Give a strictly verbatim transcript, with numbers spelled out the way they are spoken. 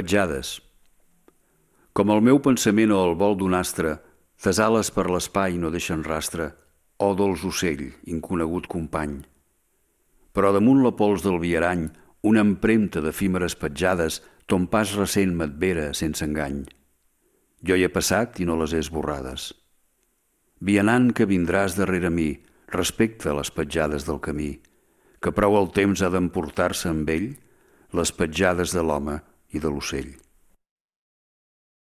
Petjades. Com el meu pensament o el vol d'un astre, tes ales per l'espai no deixen rastre, oh dolç ocell, inconegut company. Però damunt la pols del viarany, una empremta d'efímeres petjades, ton pas recent m'advera sense engany. Jo hi he passat i no les he esborrades. Vianant que vindràs darrere mi, respecta les petjades del camí, que prou el temps ha d'emportar-se amb ell les petjades de l'home i de l'ocell.